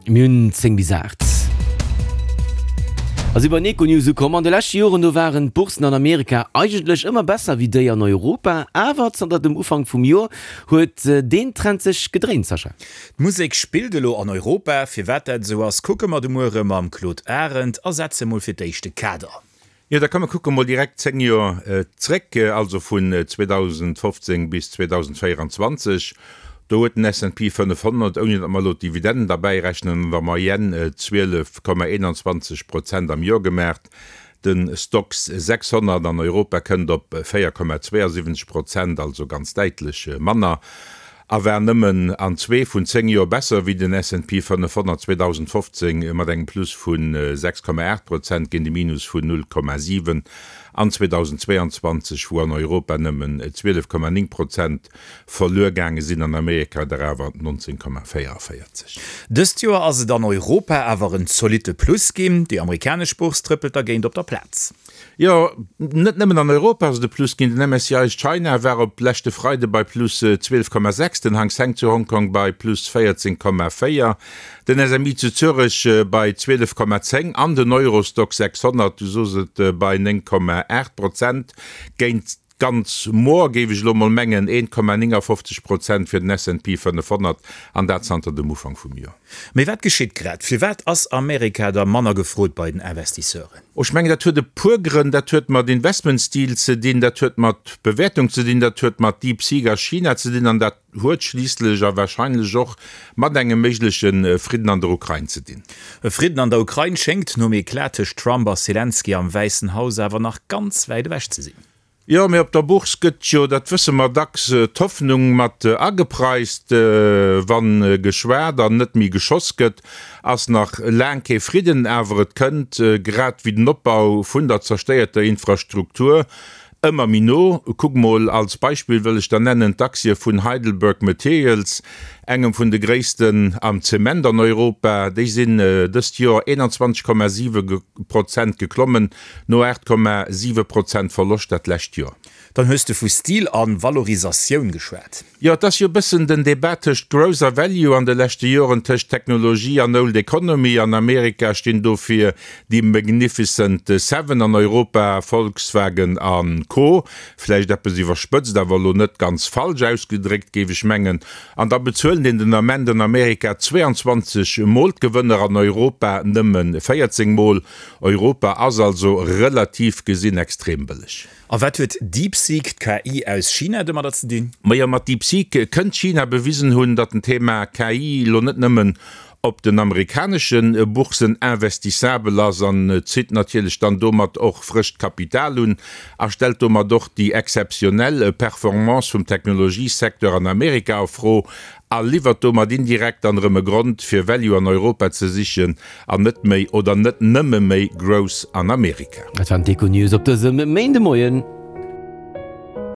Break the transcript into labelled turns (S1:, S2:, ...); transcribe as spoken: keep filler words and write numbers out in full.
S1: Mir hunn zéng bis aacht. A si bei den Econews ukomm. An de leschte Joren do waren d'Bourssen an Amerika eigentlech ëmmer besser wéi déi an Europa. Awer zanter dem Ufank vum Joer huet deen Trend sech gedréint, Sascha.
S2: D'Musek spillt elo an Europa. Firwat dat esou ass, kucke mer de Muere mam Claude Arend a setze mol fir d'éischt de Kader.
S3: Jo, da komm mer kucke mol direkt zéng Joer zréck, also vun zweedausendfofzéng bis zweedausendvéieranzwanzeg. Do huet den S and P fënnefhonnert, ouni datt mer elo d'Dividenden derbäi rechnen, an der Moyenne zwielef Komma eenanzwanzeg Prozent am Joer gemaacht. De Stoxx sechshonnert an Europa kënnt op véier Komma zweeasiwwenzeg Prozent, also ganz däitlech manner, a war nëmmen an zwee vun zéng Joer besser wéi den S and P fënnefhonnert zweedausendfofzéng mat engem Plus vu sechs Komma aacht Prozent géint e Minus vun null Komma siwen an zweedausendzweeanzwanzeg, wou an Europa nëmmen zwielef Komma néng Prozent verluer gaange sinn, an Amerika der awer nonzéng Komma véieranvéierzeg.
S2: Dëst Joer ass et an Europa awer en zolitte Plus ginn, déi amerikanesch Bourse trëppelt dergéint op der Plaz.
S3: Jo, net nëmmen an Europa ass et e Plus ginn. Den M S C I China war op leschte Freide bei plus zwielef Komma sechs, den Hang Seng zu Hongkong bei plus véierzéng Komma véier, den S M I zu Zürech bei zwielef Komma zéng an den Eurostoxx sechshonnert, du sos et, bei néng Komma aacht Prozent géint ganz moer, géif ech elo mol mengen, eent Komma néngafofzeg Prozent fir den S and P fënnefhonnert, an dat zanter dem Ufank vum Joer.
S2: Mee wat geschitt grad? Firwat ass Amerika da manner gefrot bei den Investisseuren?
S3: Oh, ech mengen, dat huet e puer Grënn. Dat huet mat Investmentstil ze dinn, dat huet mat Bewäertung ze dinn, dat huet mat DeepSeek a China ze dinn an dat huet schliisslech a warscheinlech och mat engem méigleche Fridden an der Ukrain ze dinn.
S2: E Fridden an der Ukrain schéngt nom Eclat tëscht Trump a Selenskyj am Wäissen Haus awer nach ganz wäit ewech ze sinn.
S3: Jo, mee op der Bourse gëtt jo, dat wësse mer, dacks d'Hoffnung mat agepreist. Wa geschwat an net méi geschoss gëtt, ass nach laang kee Fridden, awer et kënnt, grad wéi den Opbau vun der zerstéierter Infrastruktur, ëmmer méi no. Kuck mol, als Beispill wëll ech der nennen d'Aktie vun Heidelberg Materials, engem vun de gréissten am Zement an Europa. Déi sinn dëst Joer eenanzwanzeg Komma siwe Prozent geklommen, no aacht Komma siwe Prozent Verloscht dat lescht Joer.
S2: Dann hues de vu Stil a Valorisatioun geschwat.
S3: Jo, et ass jo e bëssen den Debat tëscht Growth a Value an de leschte Joren, tëscht Technologie an Old Economy. An Amerika stinn dofir déi Magnificent Seven, an Europa Volkswagen a Co. Vläicht eppes iwwerspëtzt, awer elo net ganz falsch ausgedréckt, géif ech mengen. An da bezuelen een den Ament an Amerika zweeanzwanzeg Mol d'Gewënner, an Europa nëmme véierzéng Mol. Europa ass also relativ gesinn extrem bëlleg.
S2: A wat huet DeepSeek, d'K I aus China, domadder ze dinn?
S3: Majo, mat DeepSeek kënnt China bewisen hunn, datt den Thema K I elo net nëmmen op den amerikanesche Boursen investissabel ass an zitt natierlech dann domat och frëscht Kapital un a stellt domat och déi exzeptionell Performance vum Technologiesecteur an Amerika a Fro a liwwert domat indirekt dann erëm e Grond fir Value an Europa ze sichen an net méi oder net nëmme méi Growth an Amerika.
S1: Dat waren d'Econews op dësem Méindemoien.